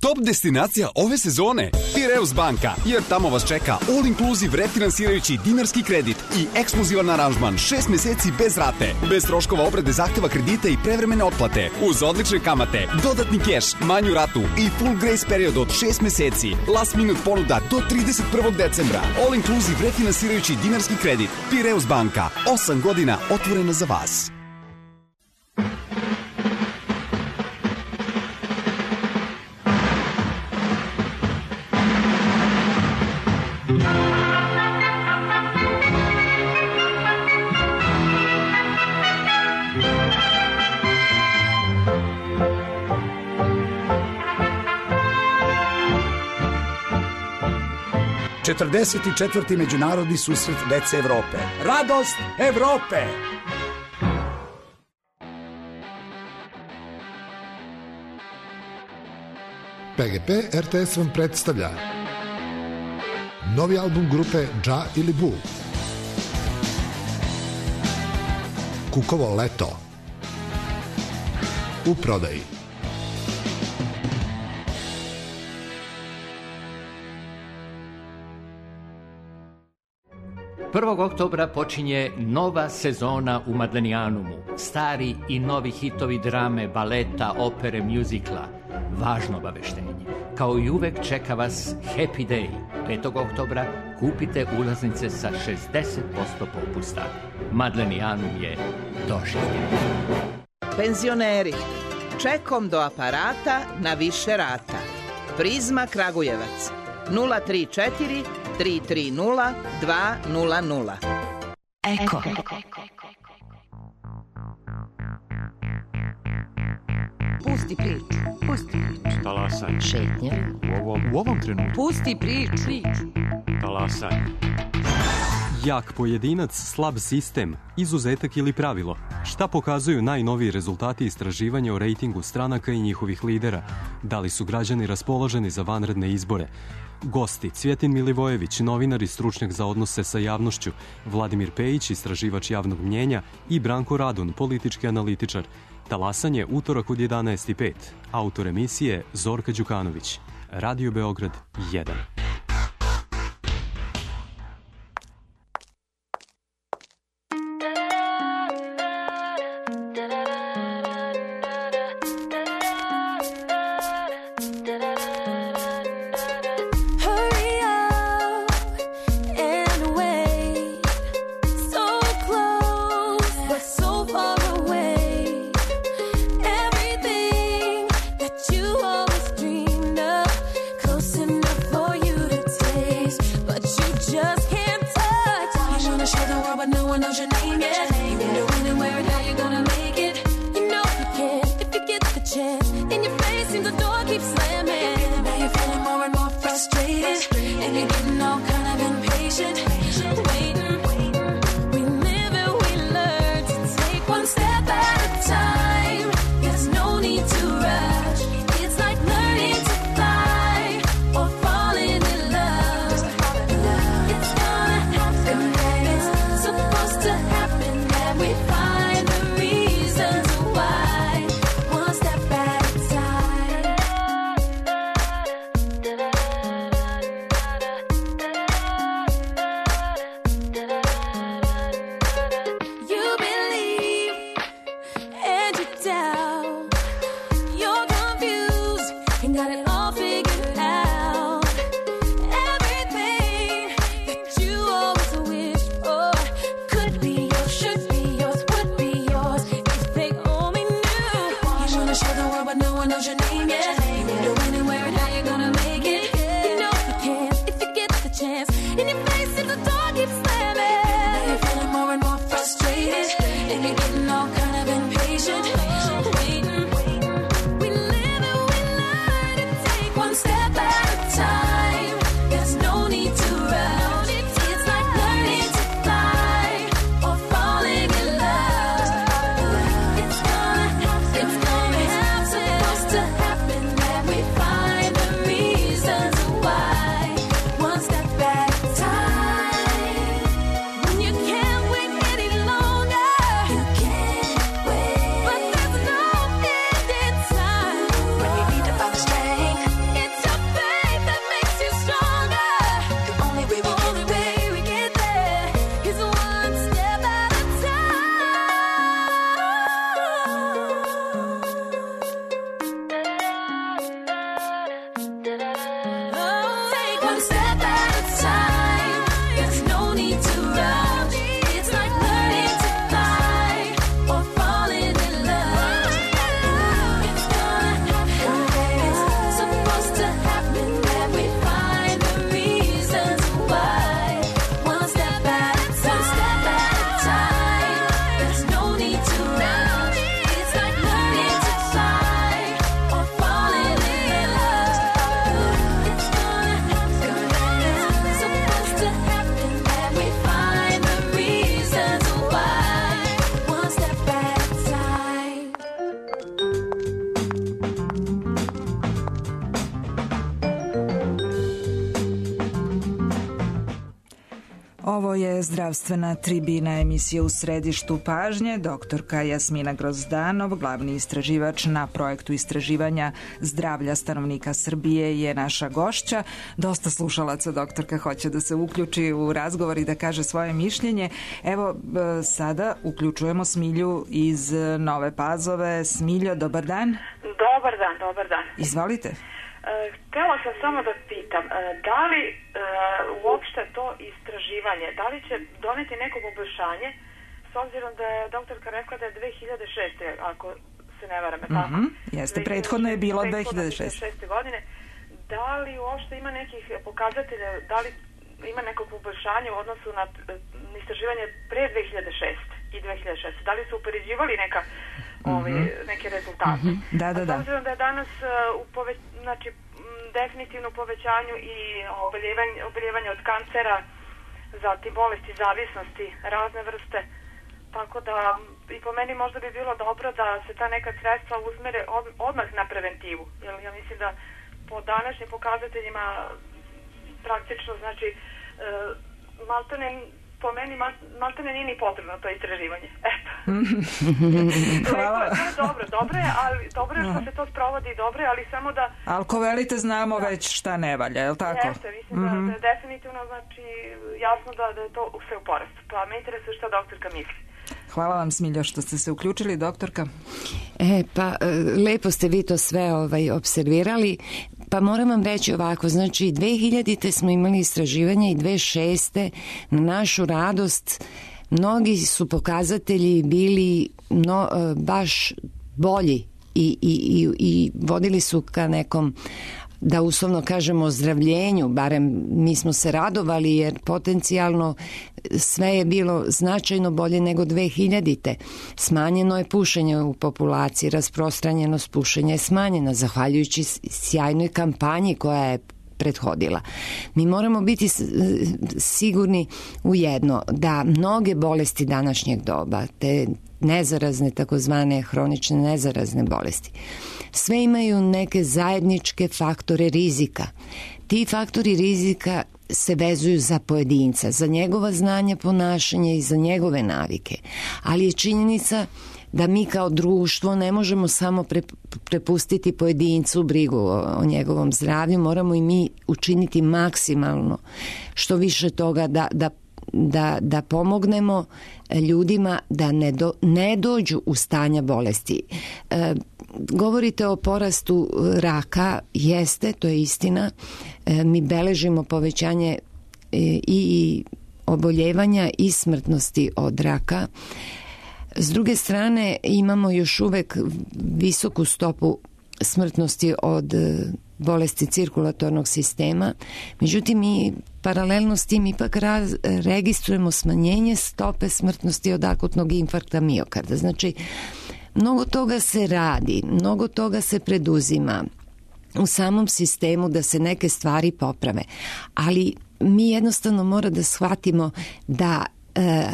Top destinacija ove sezone Piraeus banka, jer tamo vas čeka all inclusive refinansirajući dinarski kredit i ekskluzivan aranžman 6 meseci bez rate, bez troškova obrade zahteva kredita i prevremene otplate, uz odlične kamate, dodatni keš, manju ratu i full grace period od 6 meseci, last minute ponuda do 31. decembra, all inclusive refinansirajući dinarski kredit. Piraeus banka, 8 godina otvorena za vas. ...44. međunarodni susret dece Evrope. Radost Evrope! PGP RTS vam predstavlja novi album grupe Dža ili Bu. Kukovo leto. U prodaji. 1. oktobra počinje nova sezona u Madlenijanumu. Stari i novi hitovi drame, baleta, opere, mjuzikla. Važno obaveštenje. Kao i uvek čeka vas Happy Day. 5. oktobra kupite ulaznice sa 60% popusta. Madlenijanum je doživljen. Penzioneri, čekom do aparata na više rata. Prizma Kragujevac 034 330 200. Eko. Pusti priču. Pusti priču. Talasanje. Šetnja. U ovom trenutku. Pusti priču. Talasanje. Jak pojedinac, slab sistem, izuzetak ili pravilo. Šta pokazuju najnoviji rezultati istraživanja o rejtingu stranaka i njihovih lidera? Da li su građani raspoloženi za vanredne izbore? Gosti: Cvjetin Milivojević, novinar i stručnjak za odnose sa javnošću, Vladimir Pejić, istraživač javnog mnjenja i Branko Radun, politički analitičar. Talasanje, utorak od 11:05. Autor emisije Zorka Đukanović. Radio Beograd 1. Ovo je zdravstvena tribina, emisija U središtu pažnje. Doktorka Jasmina Grozdanov, glavni istraživač na projektu istraživanja zdravlja stanovnika Srbije, je naša gošća. Dosta slušalaca, doktorka, hoće da se uključi u razgovor i da kaže svoje mišljenje. Evo, sada uključujemo Smilju iz Nove Pazove. Smiljo, dobar dan. Dobar dan. Izvolite. Htjela sam samo da pitam, da li uopšte to istraživanje, da li će doneti neko poboljšanje, s obzirom da je doktorka rekla da je 2006. ako se ne varam, tako? Jeste, prethodno je bilo 2006. godine. Da li uopšte ima nekih pokazatelja, da li ima neko poboljšanje u odnosu na istraživanje pre 2006 i 2006? Da li su upoređivali neke rezultate? Da. S obzirom da je danas znači definitivno povećanju i oboljevanje od kancera, zatim bolesti zavisnosti, razne vrste, tako da i po meni možda bi bilo dobro da se ta neka sredstva usmere odmah na preventivu, jer ja mislim da po današnjim pokazateljima praktično, znači po meni maltene nije ni potrebno to istraživanje. Eto. Hvala. Dobro je, ali dobro je što se to sprovodi, dobro je, ali samo da... Ali ko velite, znamo već šta ne valja, je li tako? Jeste, mislim da je definitivno, znači, jasno da je to sve u porastu. Pa me interesuje šta doktorka misli. Hvala vam, Smiljo, što ste se uključili, doktorka. Lepo ste vi to sve observirali. Pa moram vam reći ovako, znači 2000. smo imali istraživanje i 2006. na našu radost mnogi su pokazatelji bili baš bolji i vodili su ka nekom, da uslovno kažemo, ozdravljenju, barem mi smo se radovali jer potencijalno sve je bilo značajno bolje nego 2000. Smanjeno je pušenje u populaciji, rasprostranjenost pušenja je smanjena zahvaljujući sjajnoj kampanji koja je prethodila. Mi moramo biti sigurni u jedno, da mnoge bolesti današnjeg doba, te nezarazne, takozvane hronične nezarazne bolesti, sve imaju neke zajedničke faktore rizika. Ti faktori rizika se vezuju za pojedinca, za njegova znanja, ponašanja i za njegove navike. Ali je činjenica da mi kao društvo ne možemo samo prepustiti pojedincu brigu o njegovom zdravlju, moramo i mi učiniti maksimalno što više toga da pomognemo ljudima da ne dođu u stanja bolesti. Govorite o porastu raka, jeste, to je istina. Mi beležimo povećanje i oboljevanja i smrtnosti od raka. S druge strane, imamo još uvek visoku stopu smrtnosti od bolesti cirkulatornog sistema. Međutim, mi paralelno s tim ipak registrujemo smanjenje stope smrtnosti od akutnog infarkta miokarda. Znači, mnogo toga se radi, mnogo toga se preduzima u samom sistemu da se neke stvari poprave. Ali mi jednostavno mora da shvatimo da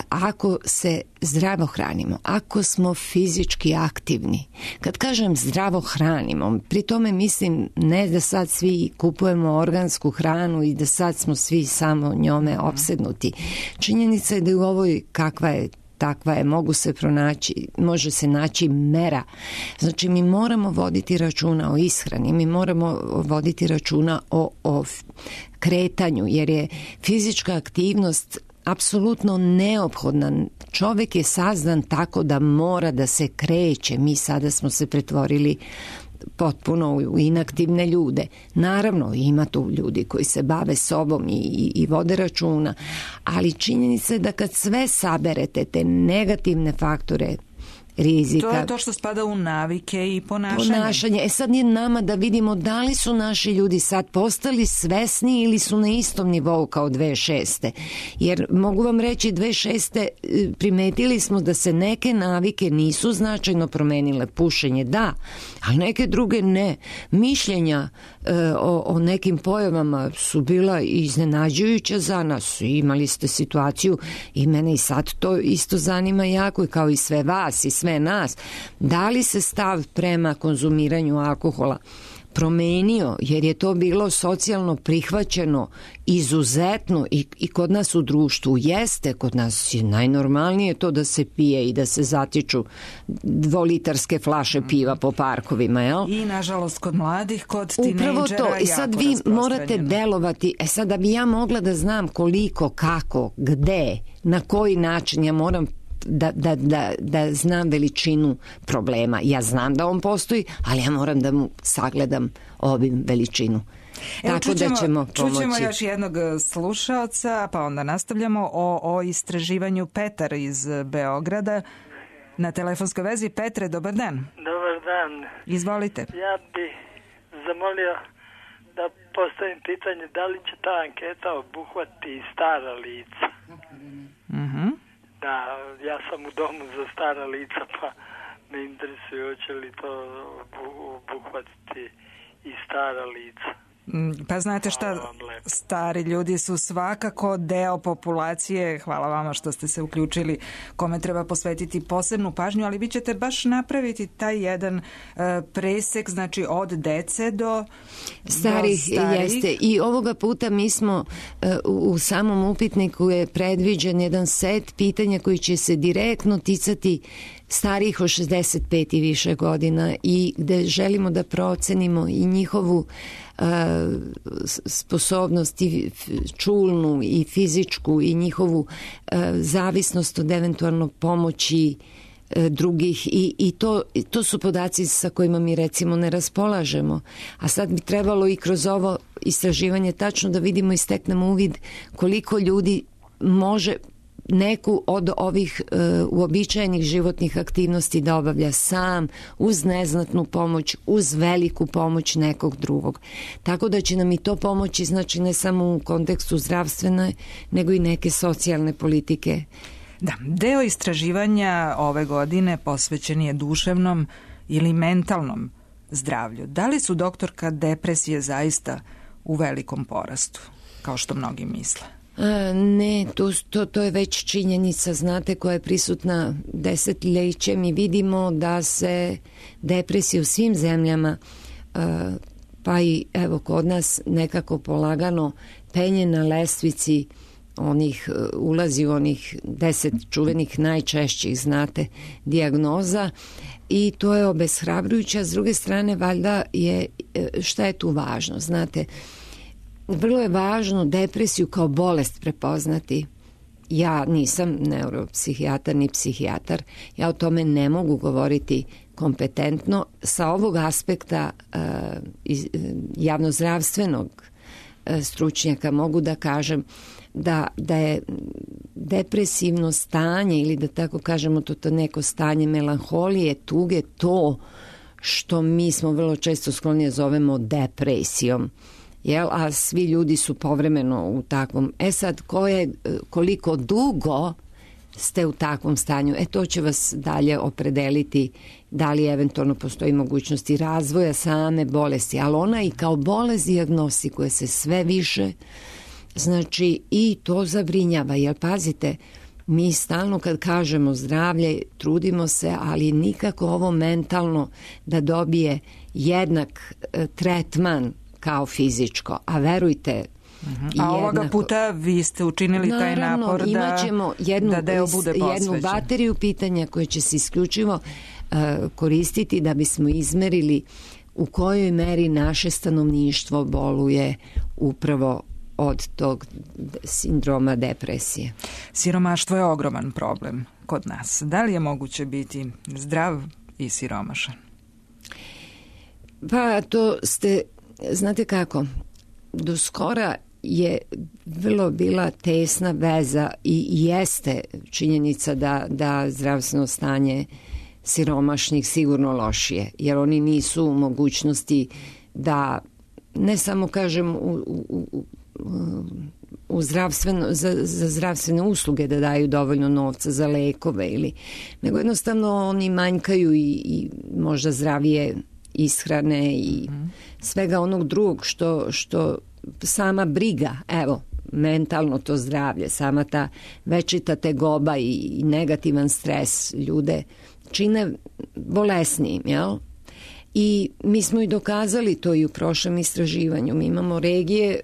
ako se zdravo hranimo, ako smo fizički aktivni, kad kažem zdravo hranimo, pri tome mislim ne da sad svi kupujemo organsku hranu i da sad smo svi samo njome opsednuti. Činjenica je da u ovoj takva je, može se naći mera. Znači mi moramo voditi računa o ishrani, mi moramo voditi računa o kretanju, jer je fizička aktivnost apsolutno neophodna. Čovjek je sazdan tako da mora da se kreće. Mi sada smo se pretvorili potpuno u inaktivne ljude. Naravno, ima tu ljudi koji se bave sobom i vode računa, ali činjenica je da kad sve saberete, te negativne faktore rizika. To je to što spada u navike i ponašanje. Sad je nama da vidimo da li su naši ljudi sad postali svesni ili su na istom nivou kao 2006. Jer mogu vam reći 2006. primetili smo da se neke navike nisu značajno promenile. Pušenje da, ali neke druge ne. Mišljenja o nekim pojavama su bila iznenađujuća za nas. Imali ste situaciju i mene i sad to isto zanima jako, kao i sve vas i sve nas. Da li se stav prema konzumiranju alkohola promenio, jer je to bilo socijalno prihvaćeno izuzetno i kod nas u društvu jeste, kod nas je najnormalnije to da se pije i da se zatiču 2-litarske flaše piva po parkovima, jel? I nažalost kod mladih, kod tinejdžera upravo to. I sad vi morate delovati, sad da bi ja mogla da znam koliko, kako, gde, na koji način, ja moram da znam veličinu problema. Ja znam da on postoji, ali ja moram da mu sagledam obim veličinu. Tako da ćemo pomoći. Čućemo još jednog slušaoca, pa onda nastavljamo o istraživanju. Petar iz Beograda na telefonskoj vezi. Petre, dobar dan. Dobar dan. Izvolite. Ja bih zamolio da postavim pitanje da li će ta anketa obuhvati stara lica. Da, ja sam u domu za stara lica, pa me interesuje hoće li to obuhvatiti i stara lica. Pa znate šta, stari ljudi su svakako deo populacije, hvala vama što ste se uključili, kome treba posvetiti posebnu pažnju, ali vi ćete baš napraviti taj jedan presek, znači od dece do starih. Jeste. I ovoga puta mi smo u samom upitniku je predviđen jedan set pitanja koji će se direktno ticati starijih od 65 i više godina i gde želimo da procenimo i njihovu sposobnost i čulnu i fizičku i njihovu zavisnost od eventualno pomoći drugih i to su podaci sa kojima mi recimo ne raspolažemo, a sad bi trebalo i kroz ovo istraživanje tačno da vidimo i steknemo uvid koliko ljudi može neku od ovih uobičajenih životnih aktivnosti da obavlja sam, uz neznatnu pomoć, uz veliku pomoć nekog drugog. Tako da će nam i to pomoći, znači ne samo u kontekstu zdravstvene, nego i neke socijalne politike. Da, deo istraživanja ove godine posvećen je duševnom ili mentalnom zdravlju. Da li su, doktorka, depresije zaista u velikom porastu, kao što mnogi misle? Ne, to je već činjenica, znate, koja je prisutna desetljećem i vidimo da se depresija u svim zemljama, pa i evo kod nas nekako polagano penje na lestvici ulazi u onih 10 čuvenih najčešćih, znate, dijagnoza i to je obeshrabrujuće. S druge strane, valjda je, šta je tu važno, znate, vrlo je važno depresiju kao bolest prepoznati. Ja nisam neuropsihijatar ni psihijatar, ja o tome ne mogu govoriti kompetentno. Sa ovog aspekta javnozdravstvenog stručnjaka mogu da kažem da je depresivno stanje ili da tako kažemo to neko stanje melanholije, tuge, to što mi smo vrlo često skloni zovemo depresijom. A svi ljudi su povremeno u takvom. Sad, koliko dugo ste u takvom stanju, to će vas dalje opredeliti da li eventualno postoji mogućnosti razvoja same bolesti, ali ona i kao bolest dijagnostikuje se sve više, znači i to zabrinjava, jer pazite, mi stalno kad kažemo zdravlje trudimo se, ali nikako ovo mentalno da dobije jednak tretman kao fizičko, a verujte, a ovoga puta vi ste učinili taj napor da deo bude posvećen. Jednu bateriju pitanja koje će se isključivo koristiti da bismo izmerili u kojoj meri naše stanovništvo boluje upravo od tog sindroma depresije. Siromaštvo je ogroman problem kod nas. Da li je moguće biti zdrav i siromašan? Pa to ste, znate kako, do skora je vrlo bila tesna veza i jeste činjenica da zdravstveno stanje siromašnih sigurno lošije, jer oni nisu u mogućnosti da, ne samo kažem za zdravstvene usluge da daju dovoljno novca za lekove nego jednostavno oni manjkaju i možda zdravije ishrane i svega onog drugog što sama briga, evo, mentalno to zdravlje, sama ta večita tegoba i negativan stres ljude čine bolesnijim, jel? I mi smo i dokazali to i u prošlom istraživanju. Mi imamo regije,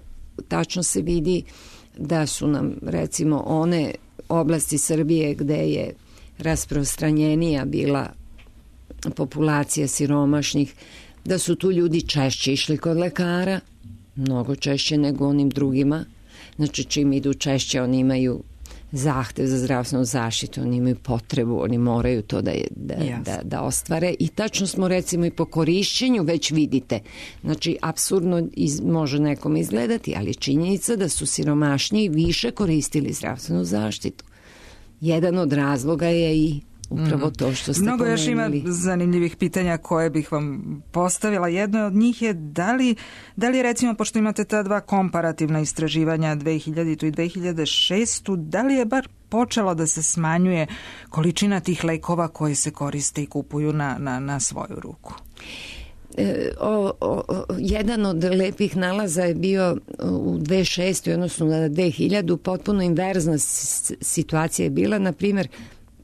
tačno se vidi da su nam recimo one oblasti Srbije gde je rasprostranjenija bila populacija siromašnih, da su tu ljudi češće išli kod lekara, mnogo češće nego onim drugima. Znači čim idu češće oni imaju zahtev za zdravstvenu zaštitu, oni imaju potrebu, oni moraju to da ostvare i tačno smo recimo i po korišćenju već vidite. Znači apsurdno može nekom izgledati, ali činjenica da su siromašniji više koristili zdravstvenu zaštitu. Jedan od razloga je i upravo to što ste mnogo pomenuli. Još ima zanimljivih pitanja koje bih vam postavila. Jedno od njih je da li recimo, pošto imate ta dva komparativna istraživanja 2000. i 2006. da li je bar počelo da se smanjuje količina tih lekova koji se koriste i kupuju na svoju ruku? Jedan od lepih nalaza je bio u 2006. odnosno na 2000. potpuno inverzna situacija je bila, na primjer,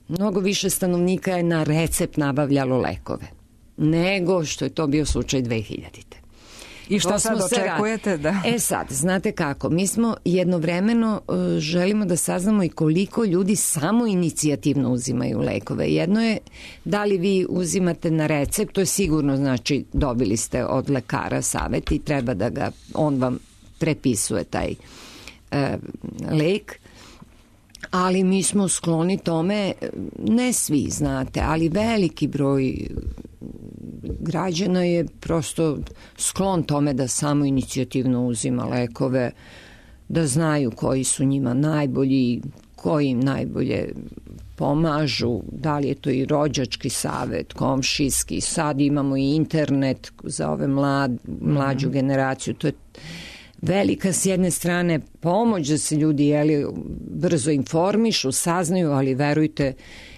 mnogo više stanovnika je na recept nabavljalo lekove nego što je to bio slučaj 2000. I šta sad očekujete? Sad, znate kako, mi smo jednovremeno želimo da saznamo i koliko ljudi samo inicijativno uzimaju lekove. Jedno je da li vi uzimate na recept, to je sigurno, znači dobili ste od lekara savet i treba da ga, on vam prepisuje taj lek. Ali mi smo skloni tome, ne svi znate, ali veliki broj građana je prosto sklon tome da samo inicijativno uzima lekove, da znaju koji su njima najbolji, koji im najbolje pomažu, da li je to i rođački savet, komšijski, sad imamo i internet za ove mlađu generaciju, to je velika s jedne strane pomoć da se ljudi brzo informišu, saznaju, ali verujte,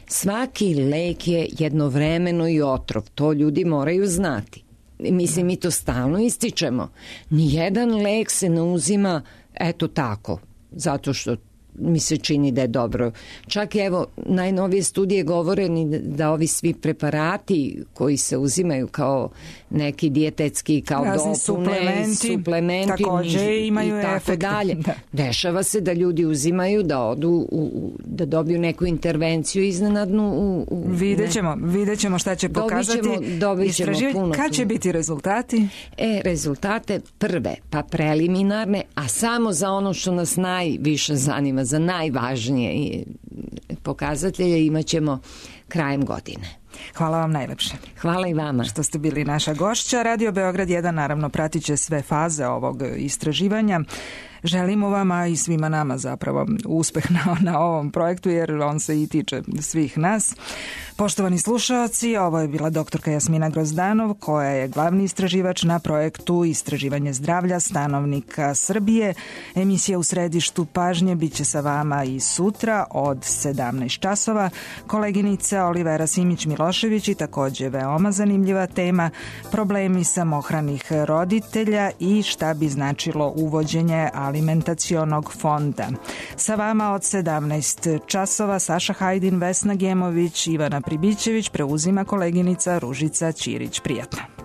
svaki lek je jednovremeno i otrov. To ljudi moraju znati. Mislim, mi to stalno ističemo. Nijedan lek se ne uzima eto tako, zato što mi se čini da je dobro. Čak evo, najnovije studije govore da ovi svi preparati koji se uzimaju kao neki dijetetski, kao dopune, suplementi takođe imaju i tako dalje. Dešava se da ljudi uzimaju, da odu, da dobiju neku intervenciju iznenadnu. Vidjet ćemo šta će pokazati. Dobit ćemo puno. Kad će biti rezultati? Rezultate prve, pa preliminarne, a samo za ono što nas najviše zanima, za najvažnije pokazatelje imat ćemo krajem godine. Hvala vam najlepše. Hvala i vama. Što ste bili naša gošća. Radio Beograd 1 naravno pratit će sve faze ovog istraživanja. Želimo vama i svima nama zapravo uspeh na ovom projektu jer on se i tiče svih nas. Poštovani slušaoci, ovo je bila doktorka Jasmina Grozdanov koja je glavni istraživač na projektu Istraživanje zdravlja stanovnika Srbije. Emisija U središtu pažnje biće sa vama i sutra od 17 časova. Koleginica Olivera Simić-Milošević i takođe veoma zanimljiva tema problemi samohranih roditelja i šta bi značilo uvođenje alimentacionog fonda. Sa vama od 17 časova Saša Hajdin, Vesna Gemović, Ivana Pribićević, preuzima koleginica Ružica Ćirić. Prijatno.